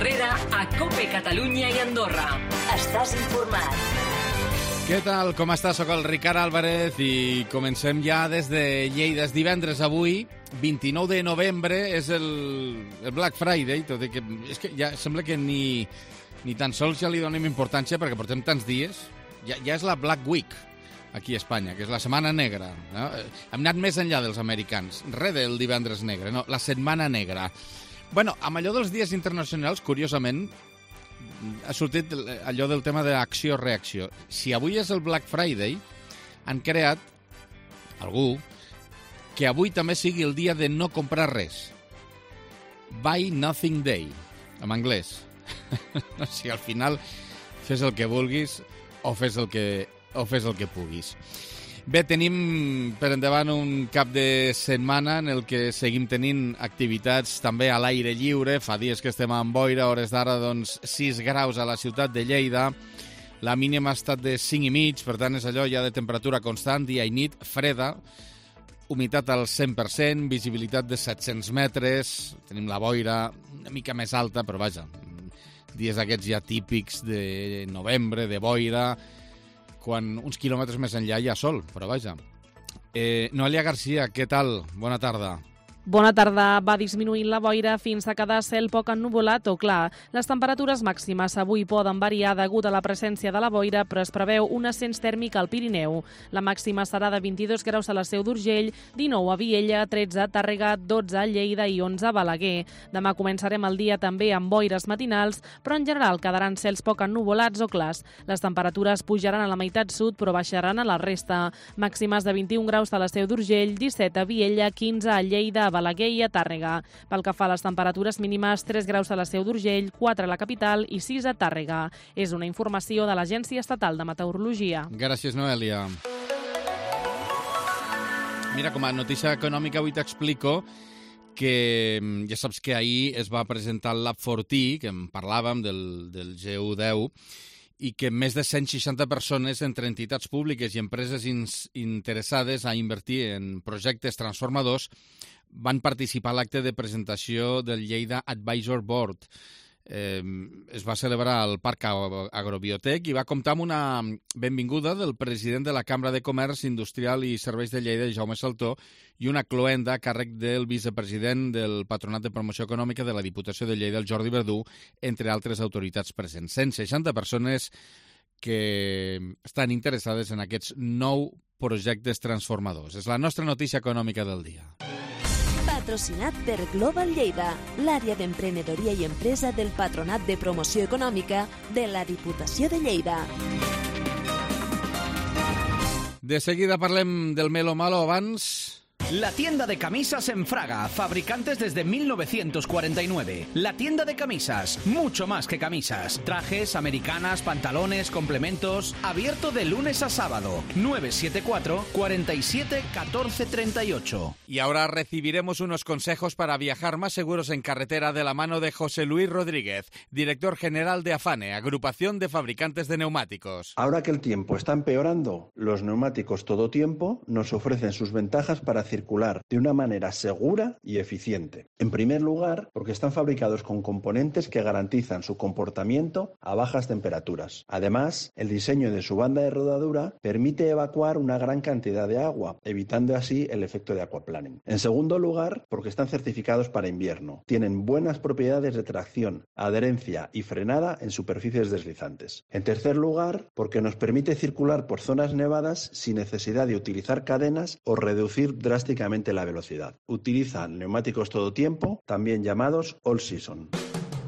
Herrera a COPE Catalunya i Andorra. Estàs informat. Què tal? Com estàs? Soc el Ricard Álvarez i comencem ja des de Lleida. És divendres avui, 29 de novembre, és el Black Friday, tot i que és que ja sembla que ni tan sols ja li donem importància perquè portem tants dies. Ja és la Black Week aquí a Espanya, que és la Setmana Negra. No? Hem anat més enllà dels americans. Res del divendres negre, no, la Setmana Negra. Bueno, amb allò dels dies internacionals, curiosament, ha sortit allò del tema d'acció-reacció. Si avui és el Black Friday, han creat, algú, que avui també sigui el dia de no comprar res. Buy Nothing Day, en anglès. O sigui, al final, fes el que vulguis o fes el que puguis. Bé, tenim per endavant un cap de setmana en el que seguim tenint activitats també a l'aire lliure. Fa dies que estem amb boira, a hores d'ara, doncs, 6 graus a la ciutat de Lleida. La mínima ha estat de 5,5, per tant, és allò ja de temperatura constant, dia i nit, freda, humitat al 100%, visibilitat de 700 metres, tenim la boira una mica més alta, però vaja, dies d'aquests ja típics de novembre, de boira, quan uns quilòmetres més enllà hi ha sol, però vaja. Noelia Garcia, què tal? Bona tarda. Bona tarda. Va disminuint la boira fins a quedar cel poc ennuvolat o clar. Les temperatures màximes avui poden variar degut a la presència de la boira, però es preveu un ascens tèrmic al Pirineu. La màxima serà de 22 graus a la Seu d'Urgell, 19 a Viella, 13 a Tàrrega, 12 a Lleida i 11 a Balaguer. Demà començarem el dia també amb boires matinals, però en general quedaran cels poc ennuvolats o clars. Les temperatures pujaran a la meitat sud, però baixaran a la resta. Màximes de 21 graus a la Seu d'Urgell, 17 a Viella, 15 a Lleida, a Balaguer i a Tàrrega. Pel que fa a les temperatures mínimes, 3 graus a la Seu d'Urgell, 4 a la capital i 6 a Tàrrega. És una informació de l'Agència Estatal de Meteorologia. Gràcies, Noelia. Mira, com a notícia econòmica avui t'explico que ja saps que ahir es va presentar el Lab 40, que en parlàvem del GU10, i que més de 160 persones entre entitats públiques i empreses interessades a invertir en projectes transformadors van participar a l'acte de presentació del Lleida Advisor Board. Es va celebrar al Parc Agrobiotec i va comptar amb una benvinguda del president de la Cambra de Comerç, Industrial i Serveis de Lleida, Jaume Saltó, i una cloenda a càrrec del vicepresident del Patronat de Promoció Econòmica de la Diputació de Lleida, el Jordi Verdú, entre altres autoritats presents. 160 persones que estan interessades en aquests 9 projectes transformadors. És la nostra notícia econòmica del dia. Patrocinat per Global Lleida, l'àrea d'emprenedoria i empresa del Patronat de Promoció Econòmica de la Diputació de Lleida. De seguida parlem del Melo Malo. Abans... La tienda de camisas en Fraga, fabricantes desde 1949. La tienda de camisas, mucho más que camisas. Trajes, americanas, pantalones, complementos. Abierto de lunes a sábado. 974 47 14 38. Y ahora recibiremos unos consejos para viajar más seguros en carretera de la mano de José Luis Rodríguez, director general de AFANE, Agrupación de Fabricantes de Neumáticos. Ahora que el tiempo está empeorando, los neumáticos todo tiempo nos ofrecen sus ventajas para circular de una manera segura y eficiente. En primer lugar, porque están fabricados con componentes que garantizan su comportamiento a bajas temperaturas. Además, el diseño de su banda de rodadura permite evacuar una gran cantidad de agua, evitando así el efecto de aquaplaning. En segundo lugar, porque están certificados para invierno. Tienen buenas propiedades de tracción, adherencia y frenada en superficies deslizantes. En tercer lugar, porque nos permite circular por zonas nevadas sin necesidad de utilizar cadenas o reducir drásticamente la velocidad. Utilizan neumáticos todo tiempo, también llamados all season.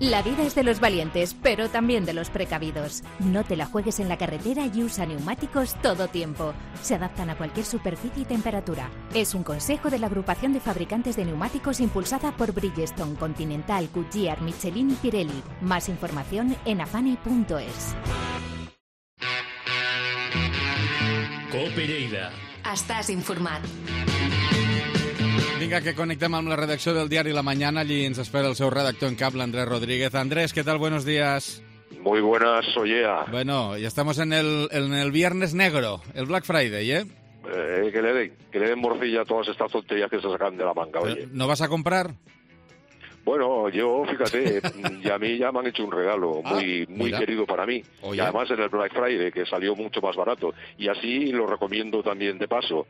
La vida es de los valientes, pero también de los precavidos. No te la juegues en la carretera y usa neumáticos todo tiempo. Se adaptan a cualquier superficie y temperatura. Es un consejo de la Agrupación de Fabricantes de Neumáticos impulsada por Bridgestone, Continental, Goodyear, Michelin y Pirelli. Más información en afani.es. COPE Lleida. Estàs informat. Vinga, que conectem amb la redacció del diari La Mañana. Allí ens espera el seu redactor en cap, Andrés Rodríguez. Andrés, ¿qué tal? Buenos días. Muy buenas, Ollea. Bueno, ya estamos en el Viernes Negro, el Black Friday, ¿eh? Que le den morcilla a todas estas tonterías que se sacan de la manga, oye. ¿No vas a comprar? Bueno, yo, fíjate, y a mí ya me han hecho un regalo muy querido para mí. Oye. Y además en el Black Friday, que salió mucho más barato. Y así lo recomiendo también de paso.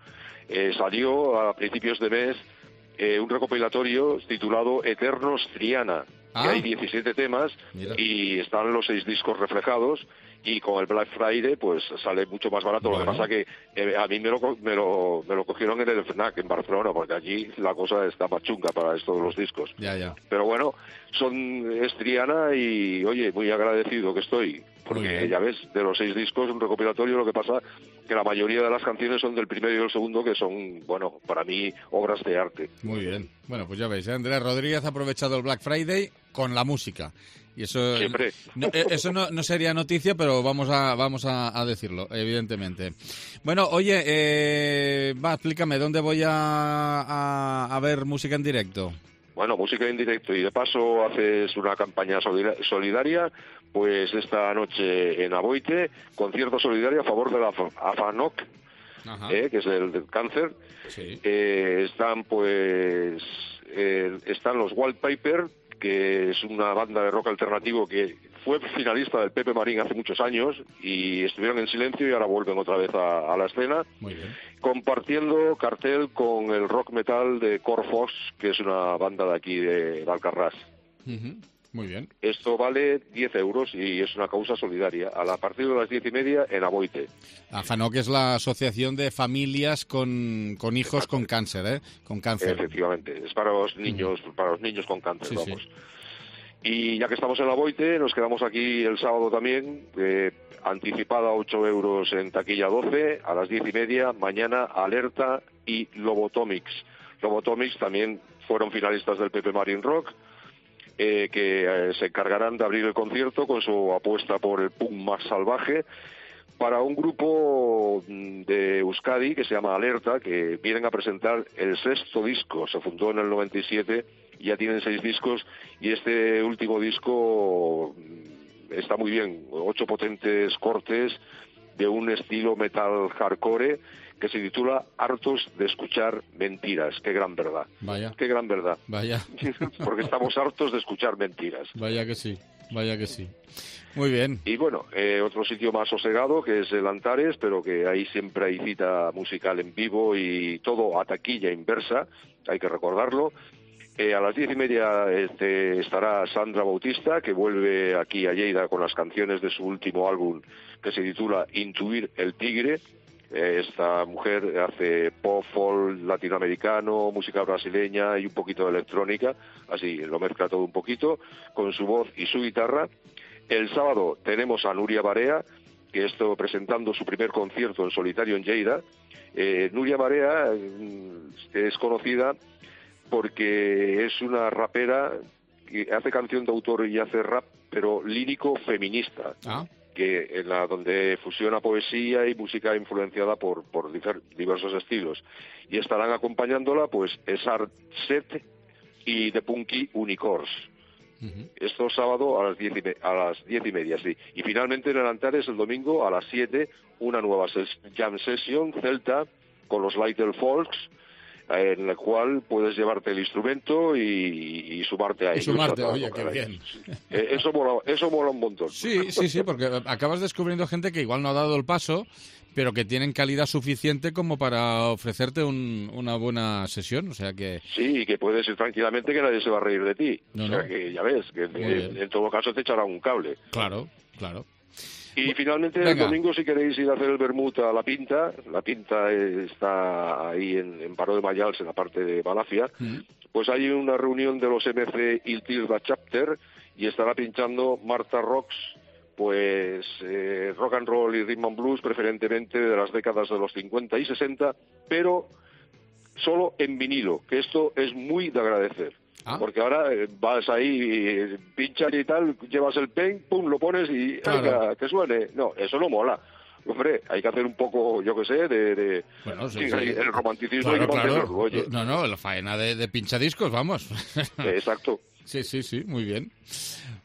Salió a principios de mes un recopilatorio titulado Eternos Triana. Que hay 17 temas y están los 6 discos reflejados. Y con el Black Friday pues sale mucho más barato. Lo que pasa que a mí me lo cogieron en el FNAC en Barcelona, porque allí la cosa está más chunga para esto de los discos. Ya. Pero bueno, es Triana y oye, muy agradecido que estoy, porque ya ves, de los 6 discos, un recopilatorio, lo que pasa que la mayoría de las canciones son del primero y del segundo, que son, bueno, para mí, obras de arte. Muy bien. Bueno, pues ya veis, Andrés Rodríguez ha aprovechado el Black Friday con la música. Y eso siempre. Eso no sería noticia, pero vamos a decirlo, evidentemente. Bueno, oye, explícame, ¿dónde voy a ver música en directo? Bueno, música en directo, y de paso haces una campaña solidaria, pues esta noche en Aboite, concierto solidario a favor de la AFANOC, que es el del cáncer. Sí. Están los Wallpaper, que es una banda de rock alternativo que fue finalista del Pepe Marín hace muchos años y estuvieron en silencio y ahora vuelven otra vez a la escena. Muy bien. Compartiendo cartel con el rock metal de Corfox, que es una banda de aquí de Alcarrás. Muy bien. Esto vale 10 euros y es una causa solidaria. A partir de las 10:30 en Aboite. AFANOC es la asociación de familias con hijos con cáncer, ¿eh? Con cáncer. Efectivamente, es para los niños, con cáncer, vamos. Sí. Y ya que estamos en Aboite, nos quedamos aquí el sábado también, anticipada 8 euros en taquilla 12, a las 10:30, mañana Alerta y Lobotomics. Lobotomics también fueron finalistas del Pepe Marín Rock, que se encargarán de abrir el concierto con su apuesta por el punk más salvaje para un grupo de Euskadi que se llama Alerta, que vienen a presentar el 6º disco. Se fundó en el 97, ya tienen 6 discos y este último disco está muy bien, 8 potentes cortes de un estilo metal hardcore que se titula Hartos de escuchar mentiras. Qué gran verdad. Vaya. Qué gran verdad. Vaya. Porque estamos hartos de escuchar mentiras. Vaya que sí. Vaya que sí. Muy bien. Y bueno, otro sitio más sosegado que es el Antares, pero que ahí siempre hay cita musical en vivo y todo a taquilla inversa, hay que recordarlo. A las 10:30 estará Sandra Bautista, que vuelve aquí a Lleida con las canciones de su último álbum que se titula Intuir el Tigre. Esta mujer hace pop, folk latinoamericano, música brasileña y un poquito de electrónica, así lo mezcla todo un poquito, con su voz y su guitarra. El sábado tenemos a Nuria Barea, que está presentando su primer concierto en solitario en Lleida. Nuria Barea es conocida porque es una rapera que hace canción de autor y hace rap, pero lírico feminista. Que donde fusiona poesía y música influenciada por diversos estilos. Y estarán acompañándola pues Esart Set y The Punky Unicorns. Esto sábado a las 10:30, sí. Y finalmente en el Antares el domingo a las 7 una nueva jam session celta con los Little Folks, en la cual puedes llevarte el instrumento y sumarte a ellos. Y sumarte, oye, qué bien. Eso mola un montón. Sí, porque acabas descubriendo gente que igual no ha dado el paso, pero que tienen calidad suficiente como para ofrecerte una buena sesión, o sea que... Sí, y que puedes ir tranquilamente, que nadie se va a reír de ti. Que ya ves, que en todo caso te echará un cable. Claro. Y finalmente el domingo, si queréis ir a hacer el vermut a La Pinta está ahí en Baró de Mayals, en la parte de Malacia, pues hay una reunión de los MC Il Tilda Chapter y estará pinchando Marta Rocks, pues rock and roll y rhythm and blues, preferentemente de las décadas de los 50 y 60, pero solo en vinilo, que esto es muy de agradecer. Porque ahora vas ahí, pinchas y tal, llevas el pen, pum, lo pones y claro. Que suene. No, eso no mola. Hombre, hay que hacer un poco, yo qué sé, Bueno, sí. El romanticismo. Claro. Oye. No, la faena de pinchadiscos, vamos. Exacto. Sí, muy bien.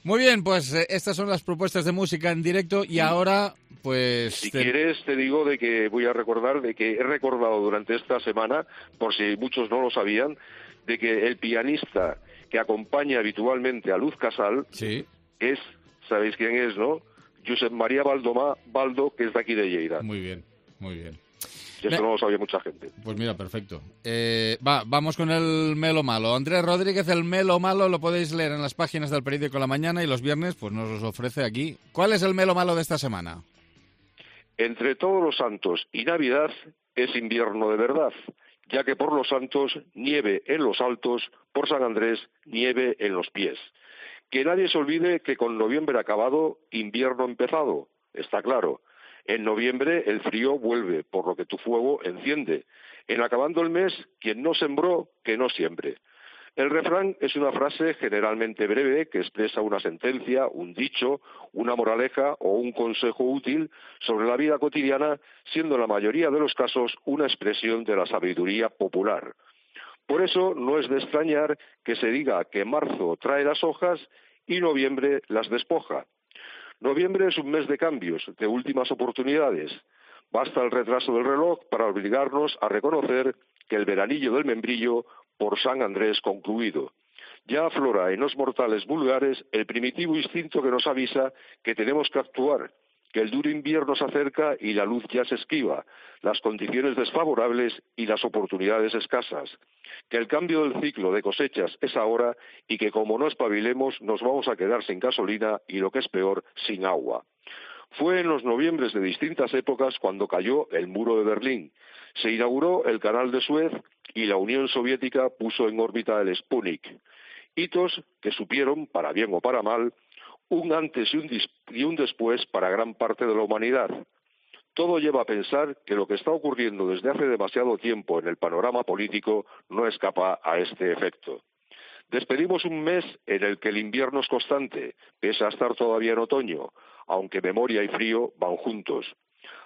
Muy bien, pues estas son las propuestas de música en directo y ahora, pues... Si quieres, te digo de que voy a recordar, de que he recordado durante esta semana, por si muchos no lo sabían, de que el pianista que acompaña habitualmente a Luz Casal, Sí. es, ¿sabéis quién es, no? Josep María Baldo, que es de aquí de Lleida. Muy bien, muy bien. Y esto no lo sabía mucha gente. Pues mira, perfecto. Vamos con el Melo Malo. Andrés Rodríguez, el Melo Malo lo podéis leer en las páginas del periódico La Mañana y los viernes pues nos los ofrece aquí. ¿Cuál es el Melo Malo de esta semana? Entre Todos los Santos y Navidad es invierno de verdad, ya que por los Santos nieve en los altos, por San Andrés nieve en los pies. Que nadie se olvide que con noviembre acabado, invierno empezado, está claro. En noviembre el frío vuelve, por lo que tu fuego enciende. En acabando el mes, quien no sembró, que no siembre. El refrán es una frase generalmente breve que expresa una sentencia, un dicho, una moraleja o un consejo útil sobre la vida cotidiana, siendo en la mayoría de los casos una expresión de la sabiduría popular. Por eso no es de extrañar que se diga que marzo trae las hojas y noviembre las despoja. Noviembre es un mes de cambios, de últimas oportunidades. Basta el retraso del reloj para obligarnos a reconocer que el veranillo del membrillo por San Andrés concluido. Ya aflora en los mortales vulgares el primitivo instinto que nos avisa que tenemos que actuar, que el duro invierno se acerca y la luz ya se esquiva, las condiciones desfavorables y las oportunidades escasas, que el cambio del ciclo de cosechas es ahora y que como no espabilemos nos vamos a quedar sin gasolina y lo que es peor, sin agua. Fue en los noviembres de distintas épocas cuando cayó el muro de Berlín, se inauguró el canal de Suez y la Unión Soviética puso en órbita el Sputnik. Hitos que supieron, para bien o para mal, un antes y un después para gran parte de la humanidad. Todo lleva a pensar que lo que está ocurriendo desde hace demasiado tiempo en el panorama político no escapa a este efecto. Despedimos un mes en el que el invierno es constante, pese a estar todavía en otoño, aunque memoria y frío van juntos.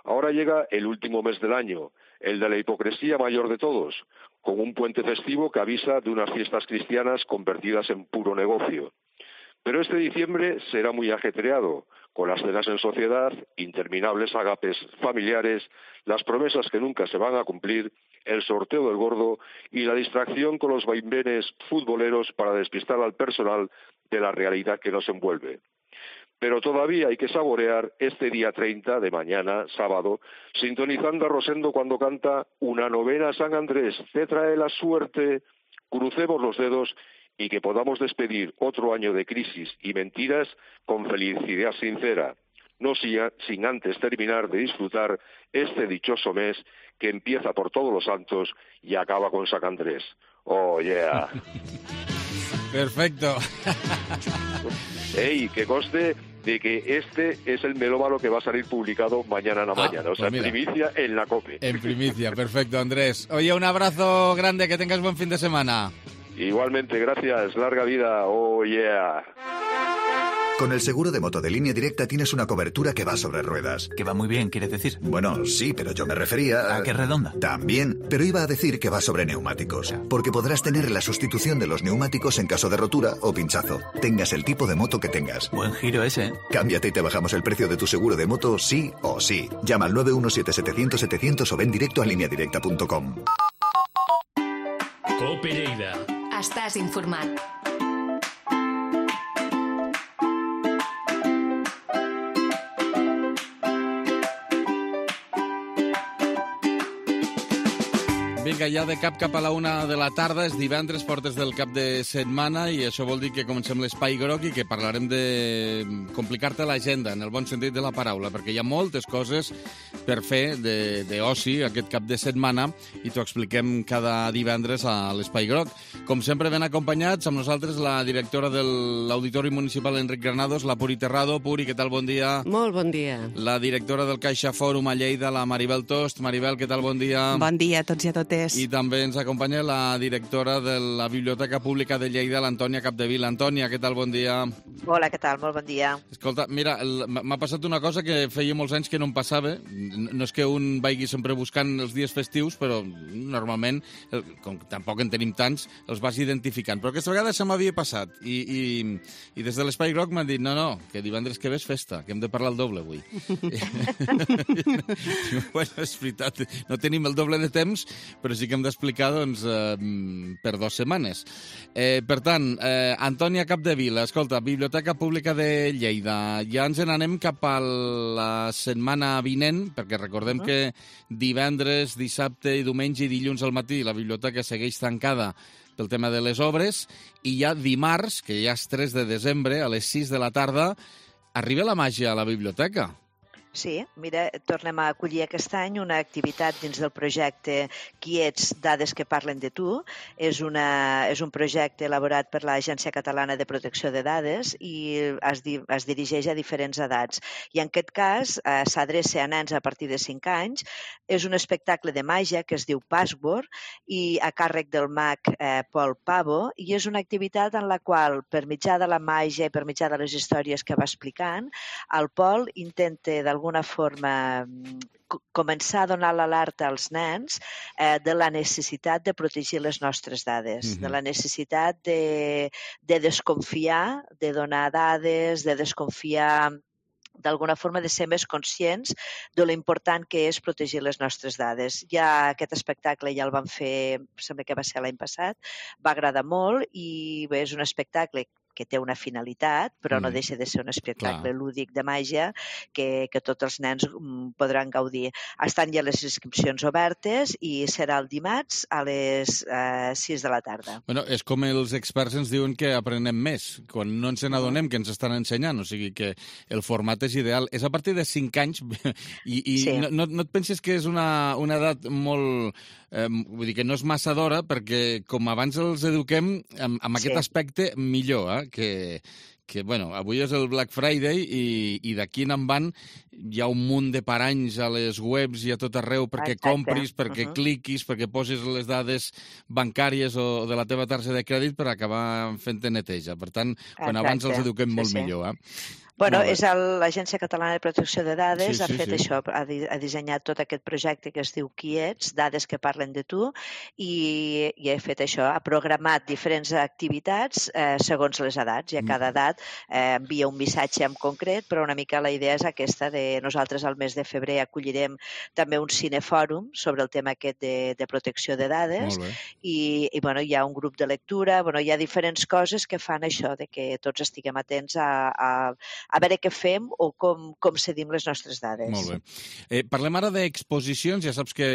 Ahora llega el último mes del año, el de la hipocresía mayor de todos, con un puente festivo que avisa de unas fiestas cristianas convertidas en puro negocio. Pero este diciembre será muy ajetreado, con las cenas en sociedad, interminables agapes familiares, las promesas que nunca se van a cumplir, el sorteo del gordo y la distracción con los vaivenes futboleros para despistar al personal de la realidad que nos envuelve. Pero todavía hay que saborear este día 30 de mañana, sábado, sintonizando a Rosendo cuando canta una novena San Andrés, te trae la suerte, crucemos los dedos y que podamos despedir otro año de crisis y mentiras con felicidad sincera, no sin antes terminar de disfrutar este dichoso mes que empieza por Todos los Santos y acaba con San Andrés. ¡Oh, yeah! Perfecto. ¡Ey, que conste de que este es el melómano que va a salir publicado mañana en la mañana! O sea, pues primicia en la COPE. En primicia, perfecto, Andrés. Oye, un abrazo grande, que tengas buen fin de semana. Igualmente, gracias. Larga vida. ¡Oh, yeah! Con el seguro de moto de Línea Directa tienes una cobertura que va sobre ruedas. Que va muy bien, ¿quieres decir? Bueno, sí, pero yo me refería ¿A qué redonda? También, pero iba a decir que va sobre neumáticos. Porque podrás tener la sustitución de los neumáticos en caso de rotura o pinchazo. Tengas el tipo de moto que tengas. Buen giro ese, ¿eh? Cámbiate y te bajamos el precio de tu seguro de moto sí o sí. Llama al 917-700-700 o ven directo a lineadirecta.com. COPE Lleida. Estàs informat. Vinga, ja de cap a la 1 de la tarda, és divendres, portes del cap de setmana, i això vol dir que comencem l'Espai Groc i que parlarem de complicar-te l'agenda, en el bon sentit de la paraula, perquè hi ha moltes coses per fer d'oci aquest cap de setmana i t'ho expliquem cada divendres a l'Espai Groc. Com sempre, ben acompanyats, amb nosaltres la directora de l'Auditori Municipal Enric Granados, la Puri Terrado. Puri, què tal? Bon dia. Molt bon dia. La directora del Caixa Fòrum a Lleida, la Maribel Tost. Maribel, què tal? Bon dia. Bon dia a tots i a totes. I també ens acompanya la directora de la Biblioteca Pública de Lleida, l'Antònia Capdevila. Antònia, què tal? Bon dia. Hola, què tal? Molt bon dia. Escolta, mira, m'ha passat una cosa que feia molts anys que no em passava. No és que un vagi sempre buscant els dies festius, però normalment, com tampoc en tenim tants, els vas identificant. Però aquesta vegada se m'havia passat. I des de l'Espai Groc m'han dit, no, que divendres que ve és festa, que hem de parlar el doble avui. Bueno, és veritat, no tenim el doble de temps, però sí que hem d'explicar doncs, per 2 setmanes. Per tant, Antònia Capdevila, escolta, Biblioteca Pública de Lleida, ja ens n'anem cap a la setmana vinent, perquè recordem que divendres, dissabte i diumenge i dilluns al matí la biblioteca segueix tancada pel tema de les obres, i ja dimarts, que ja és 3 de desembre, a les 6 de la tarda, arriba la màgia a la biblioteca. Sí, mira, tornem a acollir aquest any una activitat dins del projecte Qui ets? Dades que parlen de tu. És un projecte elaborat per l'Agència Catalana de Protecció de Dades i es dirigeix a diferents edats. I en aquest cas s'adreça a nens a partir de 5 anys. És un espectacle de màgia que es diu Password i a càrrec del mag Pol Pavo, i és una activitat en la qual, per mitjà de la màgia i per mitjà de les històries que va explicant, el Pol intenta d'alguna forma començar a donar l'alerta als nens de la necessitat de protegir les nostres dades, de la necessitat de desconfiar, de donar dades, de desconfiar, d'alguna forma de ser més conscients de lo important que és protegir les nostres dades. Ja aquest espectacle ja el vam fer, sembla que va ser l'any passat, va agradar molt i bé, és un espectacle que té una finalitat, però no deixa de ser un espectacle lúdic de màgia que tots els nens podran gaudir. Estan ja les inscripcions obertes i serà el dimarts a les 6 de la tarda. Bueno, és com els experts ens diuen que aprenem més, quan no ens n'adonem que ens estan ensenyant, o sigui que el format és ideal. És a partir de 5 anys i no et penses que és una edat molt... vull dir que no és massa d'hora, perquè com abans els eduquem amb aquest aspecte millor, que bueno, avui és el Black Friday i d'aquí en van hi ha un munt de paranys a les webs i a tot arreu perquè compris, perquè cliquis, perquè posis les dades bancàries o de la teva targeta de crèdit per acabar fent-te neteja. Per tant, quan abans els eduquem molt millor. Bueno, és l'Agència Catalana de Protecció de Dades, ha fet això, ha dissenyat tot aquest projecte que es diu Qui ets? Dades que parlen de tu, i ha fet això, ha programat diferents activitats segons les edats, i a cada edat envia un missatge en concret, però una mica la idea és aquesta de nosaltres al mes de febrer acollirem també un cinefòrum sobre el tema aquest de protecció de dades, i bueno, hi ha un grup de lectura, bueno, hi ha diferents coses que fan això, de que tots estiguem atents a veure què fem o com cedim les nostres dades. Molt bé. Parlem ara d'exposicions, ja saps que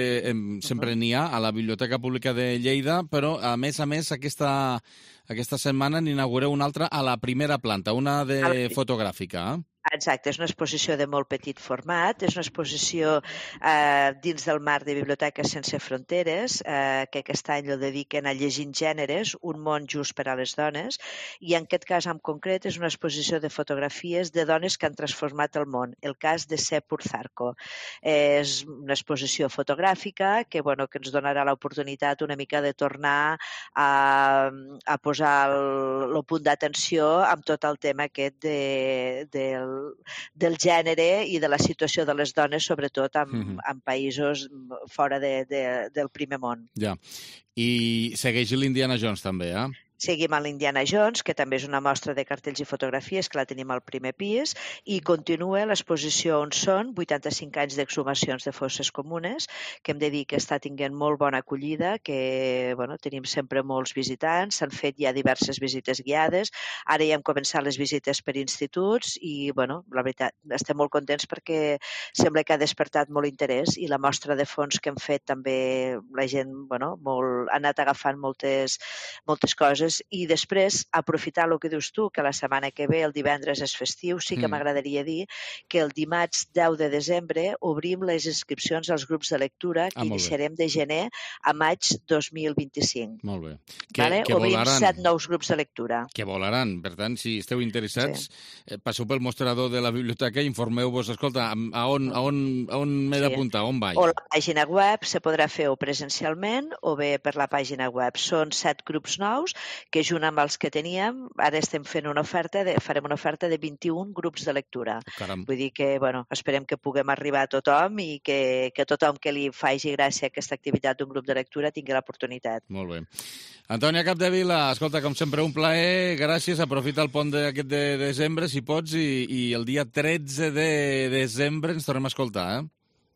sempre n'hi ha a la Biblioteca Pública de Lleida, però a més aquesta setmana n'inaugureu una altra a la primera planta, una de fotogràfica. Exacte, és una exposició de molt petit format, és una exposició dins del marc de Biblioteques Sense Fronteres, que aquest any ho dediquen a Llegint Gèneres, un món just per a les dones, i en aquest cas en concret és una exposició de fotografies de dones que han transformat el món, el cas de Sepur Zarco. És una exposició fotogràfica que ens donarà l'oportunitat una mica de tornar a posar el punt d'atenció amb tot el tema aquest del gènere i de la situació de les dones, sobretot en països fora del primer món. Ja. I segueix l'Indiana Jones també, Seguim a l'Indiana Jones, que també és una mostra de cartells i fotografies, que la tenim al primer pis, i continua l'exposició On són, 85 anys d'exhumacions de fosses comunes, que hem de dir que està tenint molt bona acollida, que tenim sempre molts visitants, s'han fet ja diverses visites guiades, ara ja hem començat les visites per instituts i, la veritat, estem molt contents perquè sembla que ha despertat molt interès i la mostra de fons que hem fet també la gent ha anat agafant moltes coses. I després, aprofitar el que dius tu, que la setmana que ve, el divendres és festiu, sí que m'agradaria dir que el dimarts 10 de desembre obrim les inscripcions als grups de lectura que iniciarem de gener a maig 2025. Molt bé. Obrim 7 nous grups de lectura. Que volaran. Per tant, si esteu interessats, passeu pel mostrador de la biblioteca i informeu-vos. Escolta, a on m'he d'apuntar? On vaig? O la pàgina web se podrà fer o presencialment o bé per la pàgina web. Són 7 grups nous que junt amb els que teníem, ara estem fent farem una oferta de 21 grups de lectura. Caram. Vull dir que, esperem que puguem arribar a tothom i que tothom que li faci gràcia aquesta activitat d'un grup de lectura tingui l'oportunitat. Molt bé. Antònia Capdevila, escolta, com sempre, un plaer, gràcies, aprofita el pont aquest de desembre, si pots, i el dia 13 de desembre ens tornem a escoltar,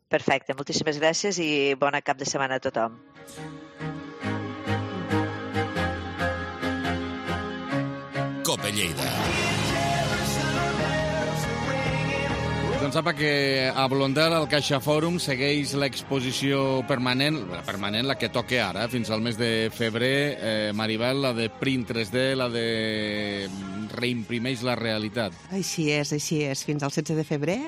Perfecte, moltíssimes gràcies i bona cap de setmana a tothom. Cope Lleida. Doncs sapa que a Blondel, al Caixa Fòrum, segueix l'exposició permanent, la que toca ara, fins al mes de febrer. Maribel, la de Print 3D, la de Reimprimeix la realitat. Així és. Fins al 16 de febrer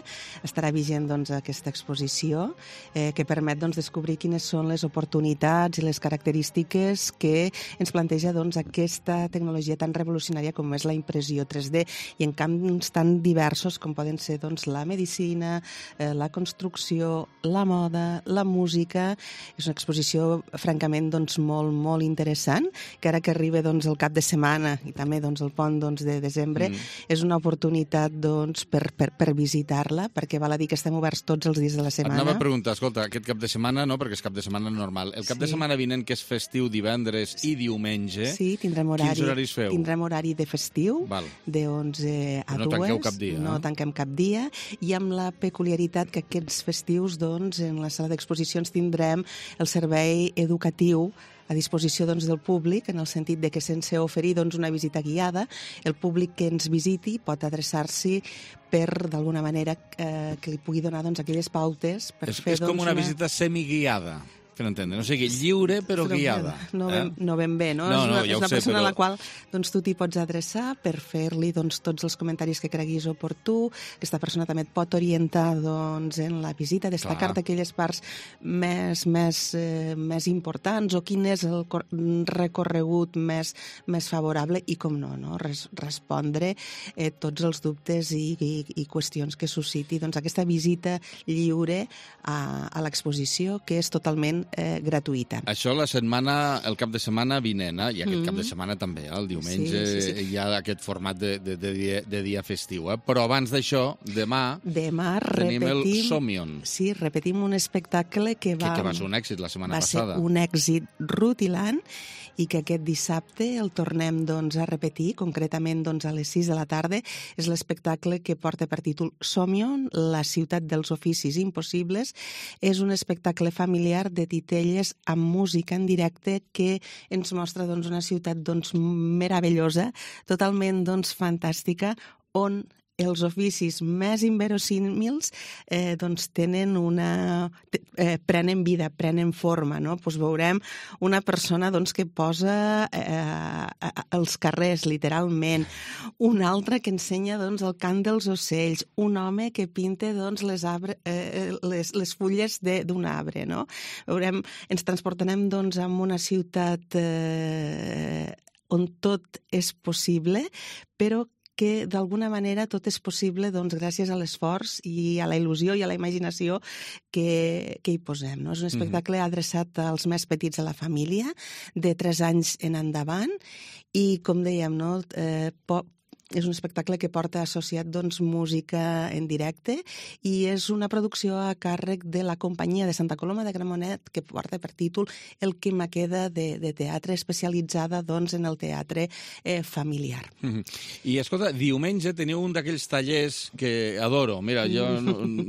estarà vigent aquesta exposició que permet descobrir quines són les oportunitats i les característiques que ens planteja aquesta tecnologia tan revolucionària com és la impressió 3D i en camps tan diversos com poden ser la medicina, la construcció, la moda, la música. És una exposició francament molt, molt interessant, que ara que arriba el cap de setmana i també el pont de desembre, és una oportunitat per visitar-la, perquè val a dir que estem oberts tots els dies de la setmana. Anava a preguntar, escolta, aquest cap de setmana no, perquè és cap de setmana normal. El cap de setmana vinent, que és festiu divendres i diumenge, quins horaris feu? Tindrem horari de festiu, de 11 a 2. No tanqueu cap dia. No tanquem cap dia, i amb la peculiaritat que aquests festius, en la sala d'exposicions tindrem el servei educatiu a disposició del públic, en el sentit de que sense oferir una visita guiada, el públic que ens visiti pot adreçar-s'hi per, d'alguna manera, que li pugui donar aquelles pautes per fer... És com una visita semiguiada, que no entendre. O sigui, lliure però guiada. No ben bé, no? És una persona a la qual tu t'hi pots adreçar per fer-li tots els comentaris que creguis oportú. Aquesta persona també et pot orientar en la visita, destacar-te aquelles parts més importants o quin és el recorregut més favorable i, com no, respondre tots els dubtes i qüestions que susciti aquesta visita lliure a l'exposició, que és totalment gratuïta. Això el cap de setmana vinent, i aquest cap de setmana també, el diumenge hi ha aquest format de dia festiu. Però abans d'això, demà tenim el Somion. Sí, repetim un espectacle que va ser un èxit la setmana passada. Va ser un èxit rutilant i que aquest dissabte el tornem a repetir, concretament a les 6 de la tarda. És l'espectacle que porta per títol Somion, la ciutat dels oficis impossibles. És un espectacle familiar de titelles amb música en directe que ens mostra una ciutat meravellosa, totalment fantàstica, on els oficis més inverosímils prenen vida, prenen forma, no? Veurem una persona que posa els carrers, literalment, un altre que ensenya el cant dels ocells, un home que pinta les fulles d'un arbre, no? Veurem, ens transportarem amb una ciutat on tot és possible, però que d'alguna manera tot és possible gràcies a l'esforç i a la il·lusió i a la imaginació que hi posem. És un espectacle adreçat als més petits de la família, de 3 anys en endavant, i, com dèiem, és un espectacle que porta associat música en directe i és una producció a càrrec de la companyia de Santa Coloma de Gramenet, que porta per títol El que me queda de teatre, especialitzada en el teatre familiar. I escolta, diumenge teniu un d'aquells tallers que adoro. Mira, jo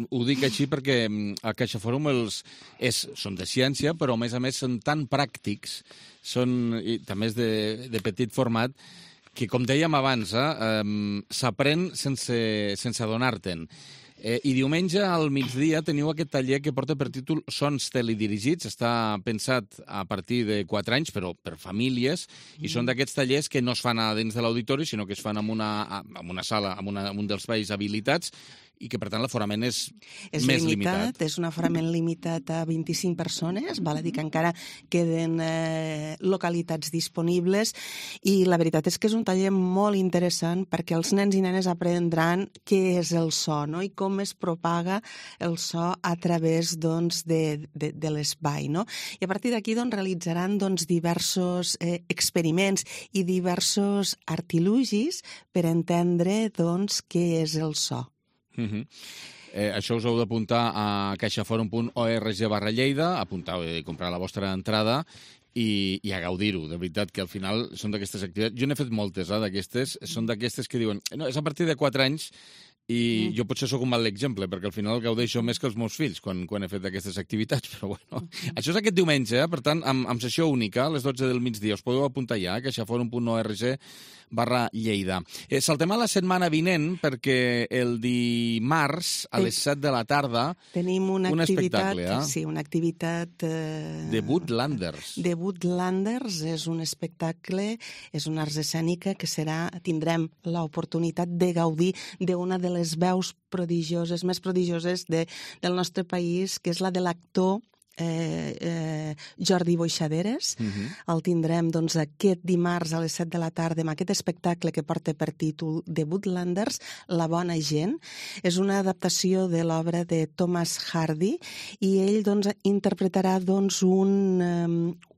ho dic així perquè a Caixa Fòrum són de ciència, però a més són tan pràctics, també és de petit format, que, com dèiem abans, s'aprèn sense adonar-te'n. I diumenge al migdia teniu aquest taller que porta per títol Sons teledirigits. Està pensat a partir de 4 anys, però per famílies, i són d'aquests tallers que no es fan a dins de l'auditori, sinó que es fan en una sala, en un dels espais habilitats, i que, per tant, l'aforament és més limitat. És un aforament limitat a 25 persones, val a dir que encara queden localitats disponibles, i la veritat és que és un taller molt interessant perquè els nens i nenes aprendran què és el so, no? I com es propaga el so a través de l'espai, no? I a partir d'aquí realitzaran diversos experiments i diversos artilugis per entendre què és el so. Això us heu d'apuntar a caixaforum.org/Lleida, apuntar i comprar la vostra entrada i a gaudir-ho. De veritat que al final són d'aquestes activitats. Jo n'he fet moltes, d'aquestes. Són d'aquestes que diuen, no, és a partir de 4 anys I jo potser sóc un mal exemple, perquè al final gaudeixo més que els meus fills quan he fet aquestes activitats, però bueno. Això és aquest diumenge, per tant, amb sessió única, a les 12 del migdia. Us podeu apuntar ja, caixaforum.org/Lleida. Saltem a la setmana vinent, perquè el dimarts, a les 7 de la tarda, tenim una activitat, espectacle, sí, una activitat... de Woodlanders. De Woodlanders és un espectacle, és una arts escènica que tindrem l'oportunitat de gaudir d'una de les veus prodigioses, més prodigioses del nostre país, que és la de l'actor Jordi Boixaderes. El tindrem aquest dimarts a les 7 de la tarda amb aquest espectacle que porta per títol The Woodlanders, La bona gent. És una adaptació de l'obra de Thomas Hardy i ell interpretarà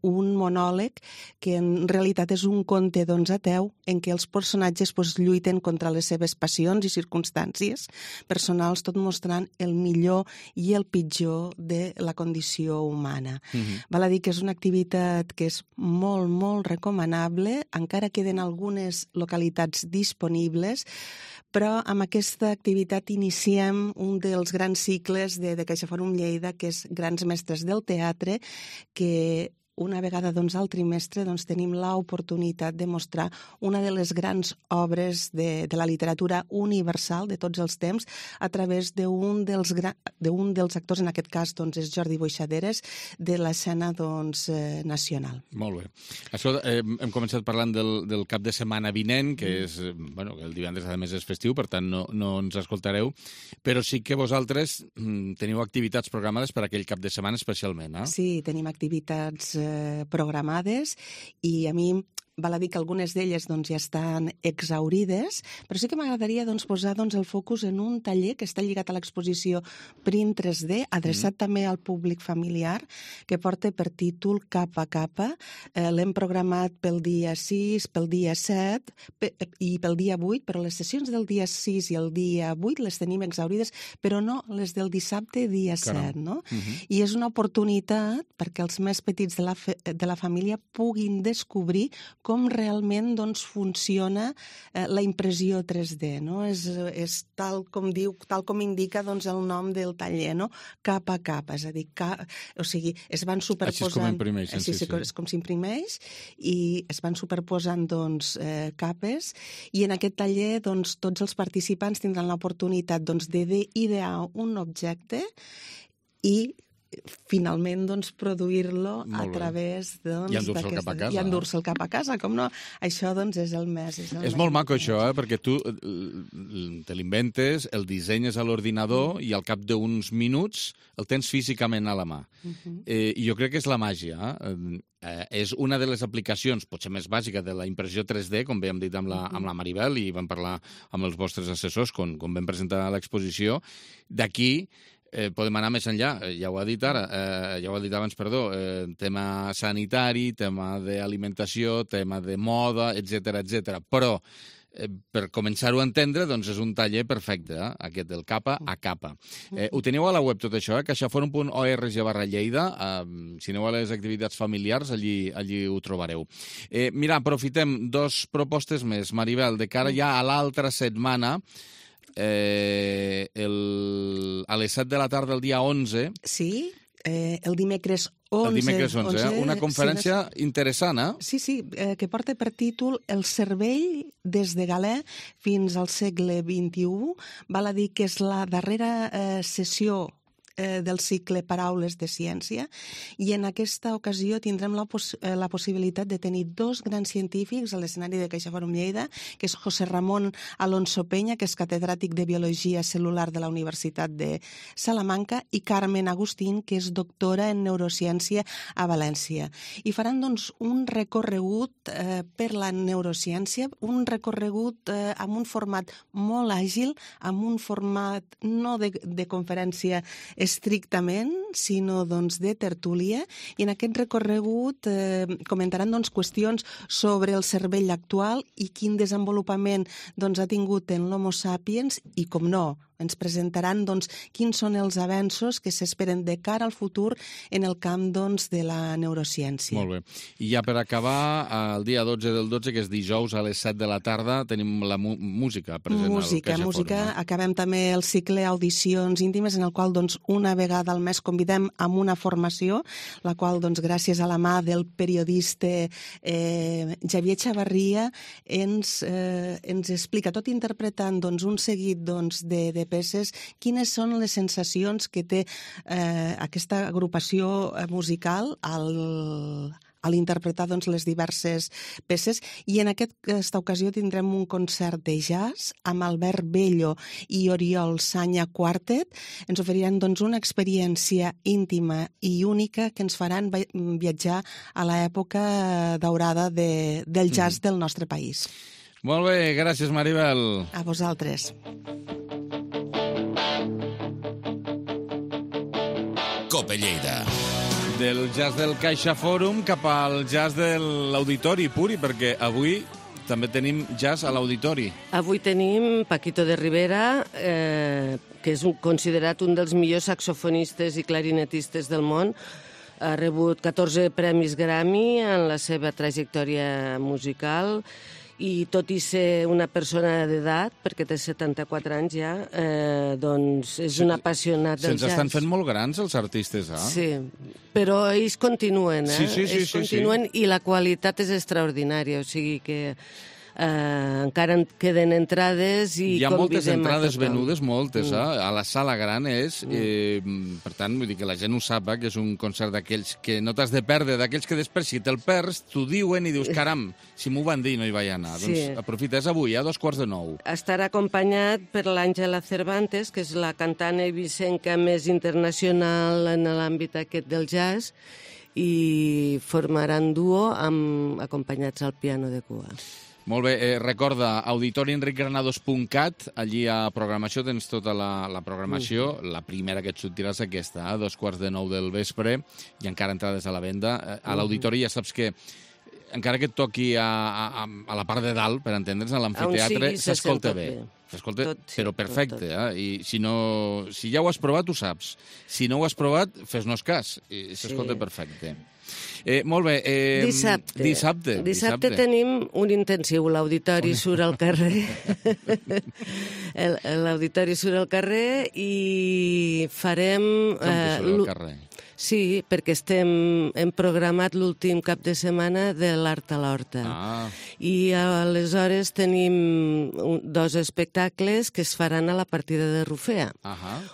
un monòleg que en realitat és un conte ateu en què els personatges lluiten contra les seves passions i circumstàncies personals, tot mostrant el millor i el pitjor de la condició humana. Val a dir que és una activitat que és molt, molt recomanable, encara queden algunes localitats disponibles, però amb aquesta activitat iniciem un dels grans cicles de CaixaForum Lleida, que és Grans Mestres del Teatre, que una vegada al trimestre tenim l'oportunitat de mostrar una de les grans obres de la literatura universal de tots els temps a través d'un dels actors, en aquest cas és Jordi Boixaderes, de l'escena nacional. Molt bé. Això hem començat parlant del cap de setmana vinent, que és, el divendres a més és festiu, per tant no ens escoltareu, però sí que vosaltres teniu activitats programades per aquell cap de setmana especialment, eh? Sí, tenim activitats programades i a mi val a dir que algunes d'elles ja estan exhaurides, però sí que m'agradaria posar el focus en un taller que està lligat a l'exposició Print 3D, adreçat també al públic familiar, que porta per títol Capa a Capa. L'hem programat pel dia 6, pel dia 7 i pel dia 8, però les sessions del dia 6 i el dia 8 les tenim exhaurides, però no les del dissabte dia 7, no? I és una oportunitat perquè els més petits de la família puguin descobrir com realment funciona la impressió 3D, no? És tal com indica el nom del taller, no? Capa a capa, és a dir, o sigui, es van superposant... Així és com imprimeixen, sí. És com s'imprimeix i es van superposant capes i en aquest taller tots els participants tindran l'oportunitat d'idear un objecte i finalment produir-lo a través i endur-se'l cap a casa. I endur-se'l cap a casa, com no? Això és el més. És molt maco això, perquè tu te l'inventes, el dissenyes a l'ordinador i al cap d'uns minuts el tens físicament a la mà. I jo crec que és la màgia. És una de les aplicacions, potser més bàsica, de la impressió 3D, com bé hem dit amb la Maribel i vam parlar amb els vostres assessors quan vam presentar l'exposició. D'aquí podem anar més enllà, ja ho ha dit abans, tema sanitari, tema d'alimentació, tema de moda, etc. Però, per començar-ho a entendre, és un taller perfecte, aquest del capa a capa. Ho teniu a la web tot això, caixaforum.org/Lleida. Si aneu a les activitats familiars, allí ho trobareu. Mira, aprofitem 2 propostes més, Maribel, de cara ja a l'altra setmana, a les 7 de la tarda, el dia 11... Sí, el dimecres 11. El dimecres 11, una conferència interessant, eh? Sí, que porta per títol El cervell des de Galè fins al segle XXI. Val a dir que és la darrera sessió del cicle Paraules de Ciència i en aquesta ocasió tindrem la possibilitat de tenir 2 grans científics a l'escenari de CaixaForum Lleida, que és José Ramón Alonso Peña, que és catedràtic de Biologia Cel·lular de la Universitat de Salamanca, i Carmen Agustín, que és doctora en Neurociència a València. I faran un recorregut per la neurociència, un recorregut amb un format molt àgil, amb un format no de conferència estrictament, sinó de tertúlia, i en aquest recorregut comentaran qüestions sobre el cervell actual i quin desenvolupament ha tingut en l'Homo sapiens i, com no, ens presentaran doncs, quins són els avenços que s'esperen de cara al futur en el camp doncs, de la neurociència. Molt bé. I ja per acabar, el dia 12 del 12, que és dijous a les 7 de la tarda, tenim la música present al CaixaForum. Música. Acabem també el cicle Audicions íntimes, en el qual doncs, una vegada al mes convidem amb una formació, la qual, doncs, gràcies a la mà del periodista Xavier Chavarria, ens explica, tot interpretant doncs, un seguit doncs, de peces, quines són les sensacions que té aquesta agrupació musical a l'interpretar doncs, les diverses peces. I en aquesta ocasió tindrem un concert de jazz amb Albert Bello i Oriol Sanya Quartet. Ens oferiran doncs, una experiència íntima i única que ens faran viatjar a l'època daurada del jazz del nostre país. Molt bé, gràcies, Maribel. A vosaltres. Cope Lleida. Del jazz del CaixaForum cap al jazz de l'Auditori, Puri, perquè avui també tenim jazz a l'Auditori. Avui tenim Paquito de Rivera, que és considerat un dels millors saxofonistes i clarinetistes del món. Ha rebut 14 premis Grammy en la seva trajectòria musical i tot i ser una persona d'edat, perquè té 74 anys ja, doncs és un apassionat del jazz. Se'ns estan fent molt grans els artistes, eh? Sí, però ells continuen, Sí. Ells continuen i la qualitat és extraordinària, o sigui que encara en queden entrades i hi ha moltes entrades venudes, moltes, a la sala gran és, per tant, vull dir que la gent ho sap, que és un concert d'aquells que no t'has de perdre, d'aquells que després si te'l perds, t'ho diuen i dius, caram, si m'ho van dir no hi vaig anar. Sí. Doncs aprofita, és avui, a 8:45. Estarà acompanyat per l'Àngela Cervantes, que és la cantant eivissenca més internacional en l'àmbit aquest del jazz, i formaran duo acompanyats al piano de cua. Molt bé, recorda, auditorienricgranados.cat, allí a programació tens tota la programació, la primera que et sortirà és aquesta, a 8:45 del vespre, i encara entrades a la venda. A l'auditori ja saps que, encara que et toqui a la part de dalt, per entendre's, a l'amfiteatre, s'escolta bé. S'escolta, però perfecte, i si ja ho has provat, ho saps. Si no ho has provat, fes-nos cas, i s'escolta perfecte. Molt bé. Dissabte tenim un intensiu. L'auditori surt al carrer. L'auditori surt al carrer i farem... Com que surt al carrer? Sí, perquè hem programat l'últim cap de setmana de l'Art a l'Horta. I aleshores tenim 2 espectacles que es faran a la partida de Rufea.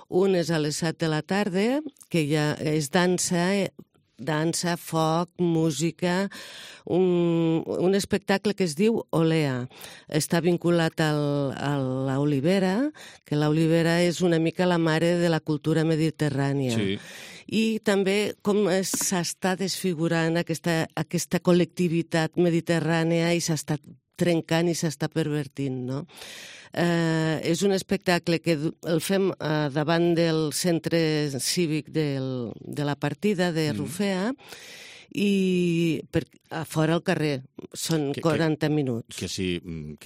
Un és a les 7 de la tarda, que ja és dansa, foc, música, un espectacle que es diu Olea. Està vinculat a l'olivera, que l'olivera és una mica la mare de la cultura mediterrània. Sí. I també com s'està desfigurant aquesta col·lectivitat mediterrània i s'està trencant i s'està pervertint, no? És un espectacle que el fem davant del centre cívic de la partida de Rufea i a fora al carrer. Són 40 minuts. Que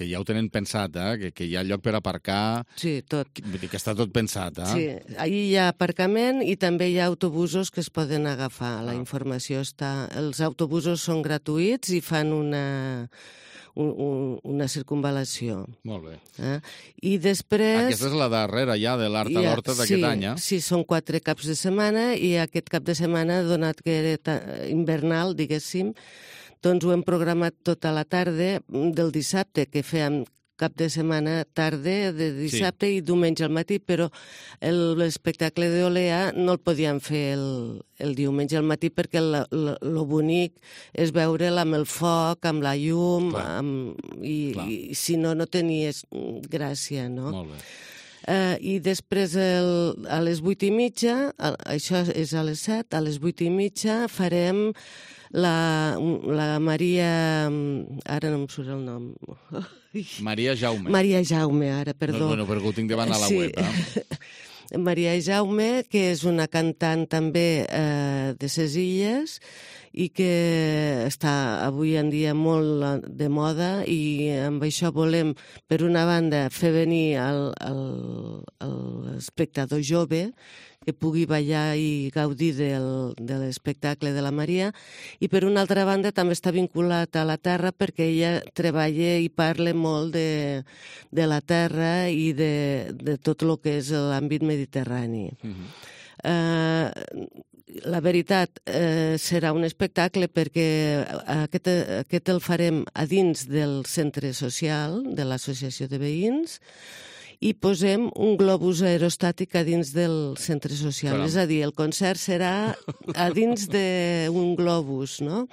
ja ho tenen pensat, que hi ha lloc per aparcar. Sí, tot. Vull dir que està tot pensat, Sí, allí hi ha aparcament i també hi ha autobusos que es poden agafar. La informació està... Els autobusos són gratuïts i fan una circunvalació. Molt bé. I després... Aquesta és la darrera ja de l'Art a l'Horta d'aquest any, Sí, són 4 caps de setmana i aquest cap de setmana, donat que era invernal, diguéssim, doncs ho hem programat tota la tarda del dissabte, que fèiem cap de setmana tarda de dissabte i diumenge al matí, però l'espectacle d'Olea no el podíem fer el diumenge al matí perquè lo bonic és veure'l amb el foc, amb la llum, i si no, no tenies gràcia, no? Molt bé. I després a les 8:30, això és a les 7, a les 8:30 farem la Maria... Ara no em surt el nom. Maria Jaume. Maria Jaume, ara, perdó. Bueno, perquè ho tinc davant a la web. Maria Jaume, que és una cantant també de ses Illes, i que està avui en dia molt de moda, i amb això volem, per una banda, fer venir l'espectador jove, que pugui ballar i gaudir de l'espectacle de la Maria, i per una altra banda també està vinculat a la terra perquè ella treballa i parla molt de la terra i de tot el que és l'àmbit mediterrani. La veritat, serà un espectacle perquè aquest el farem a dins del centre social de l'Associació de Veïns, i posem un globus aerostàtic a dins del centre social. Caram. És a dir, el concert serà a dins d'un globus, no?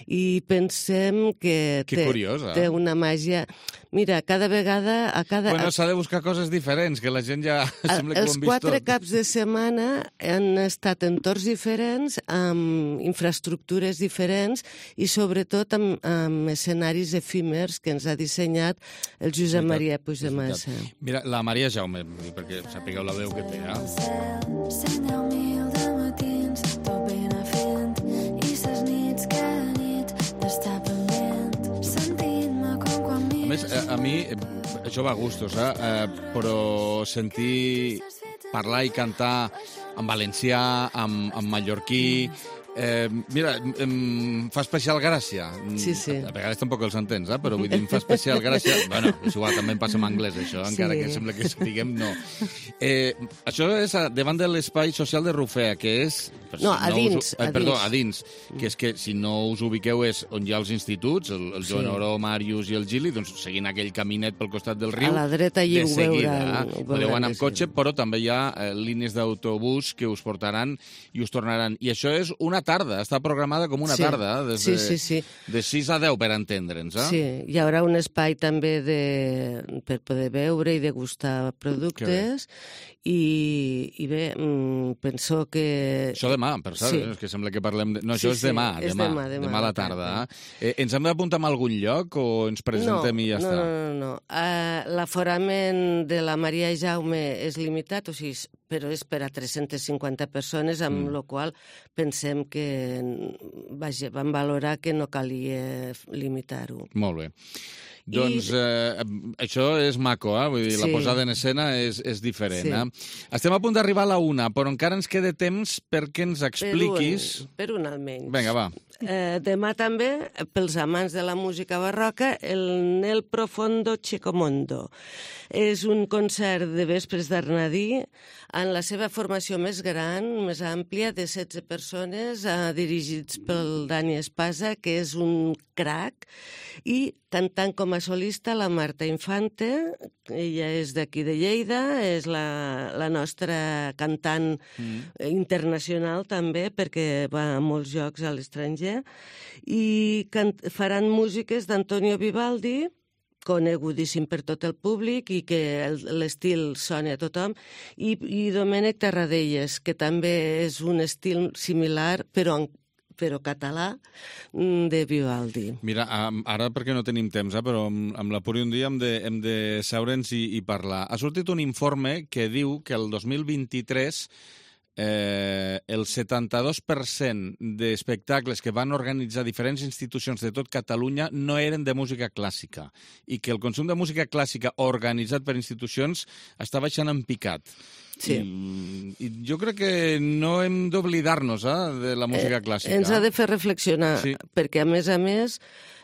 I pensem que té una màgia... Mira, cada vegada... Bueno, s'ha de buscar coses diferents, que la gent ja sembla que ho han vist tot. Els 4 caps de setmana han estat entorns diferents, amb infraestructures diferents i sobretot amb escenaris efímers que ens ha dissenyat el Josep Maria Puigdemassa. Mira, la Maria Jaume, perquè sapigueu la veu que té, A més, a mi, això va a gustos, però sentir parlar i cantar en valencià, en mallorquí... Mira, em fa especial gràcia. Sí. A vegades tampoc els entens, però vull dir, em fa especial gràcia... Bueno, és igual, també em passa en anglès, això, encara que sembla que diguem no. Això és davant de l'espai social de Rufea, que és... No, a dins. Perdó, a dins. Que és que, si no us ubiqueu, és on hi ha els instituts, el Joan Oró, Màrius i el Gili, doncs seguint aquell caminet pel costat del riu. A la dreta hi ho veuran. Podeu anar amb cotxe, però també hi ha línies d'autobús que us portaran i us tornaran. I això és una tarda, està programada com una tarda, de 6 a 10, per entendre'ns. Sí, hi haurà un espai també per poder veure i degustar productes, i bé, penso que... Això demà, per cert, és que sembla que parlem... No, això és demà a la tarda. Ens hem d'apuntar a algun lloc o ens presentem i ja està? No. L'aforament de la Maria Jaume és limitat, però és per a 350 persones, amb la qual pensem que vam valorar que no calia limitar-ho. Molt bé. Doncs això és maco, vull dir, la posada en escena és diferent. Estem a punt d'arribar a la 1, però encara ens queda temps perquè ens expliquis... Per un almenys. Vinga, va. Demà també, pels amants de la música barroca, el Nel Profondo Chicomondo. És un concert de vespres d'Arnadí en la seva formació més gran, més àmplia, de 16 persones, dirigits pel Dani Espasa, que és un crac, i cantant com a solista la Marta Infante. Ella és d'aquí de Lleida, és la nostra cantant internacional també, perquè va a molts llocs a l'estranger, i faran músiques d'Antonio Vivaldi, conegudíssim per tot el públic i que l'estil sona a tothom, i Domènec Tarradellas, que també és un estil similar, però català, de Vivaldi. Mira, ara perquè no tenim temps, però amb la Puri un dia hem de seure'ns i parlar. Ha sortit un informe que diu que el 2023 el 72% d'espectacles que van organitzar diferents institucions de tot Catalunya no eren de música clàssica i que el consum de música clàssica organitzat per institucions està baixant en picat. Sí. I jo crec que no hem d'oblidar-nos de la música clàssica. Ens ha de fer reflexionar, perquè a més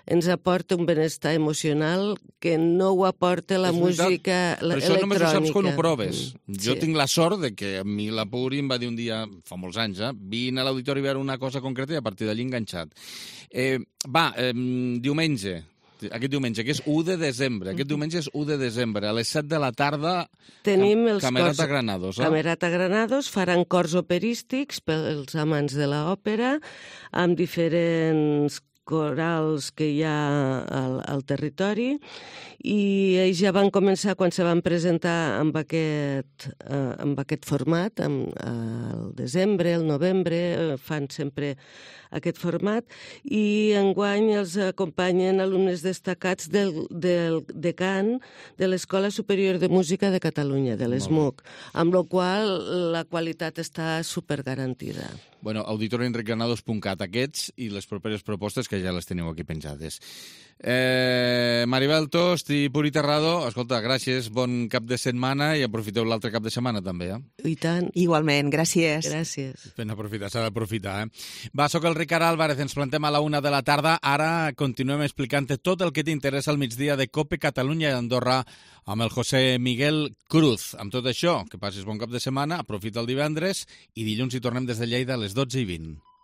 ens aporta un benestar emocional que no ho aporta la música electrònica. Però això només ho saps quan ho proves. Jo tinc la sort de que a mi la Puri em va dir un dia, fa molts anys, vine a l'auditori a veure una cosa concreta i a partir d'allí enganxat. Diumenge, que és 1 de desembre. Aquest diumenge és 1 de desembre. A les 7 de la tarda, tenim els Camerata Granados. Camerata Granados faran cors operístics pels amants de l'òpera, amb diferents corals que hi ha al territori, i ells ja van començar quan se van presentar amb aquest format, al desembre, al novembre, fan sempre aquest format, i enguany els acompanyen alumnes destacats de cant de l'Escola Superior de Música de Catalunya, de l'ESMUC, amb la qual la qualitat està supergarantida. Bueno, auditorioenricgranados.cat, aquests i les properes propostes que ja les teniu aquí penjades. Maribel Tost i Puri Terrado, escolta, gràcies, bon cap de setmana i aprofiteu l'altre cap de setmana també, I tant. Igualment, gràcies. Gràcies. Ben aprofitar, s'ha d'aprofitar, Va, soc el Ricard Álvarez, ens plantem a la 1 de la tarda. Ara continuem explicant-te tot el que t'interessa al migdia de COPE Catalunya i Andorra amb el José Miguel Cruz. Amb tot això, que passis bon cap de setmana, aprofita el divendres i dilluns hi tornem des de Lleida a les 12:20.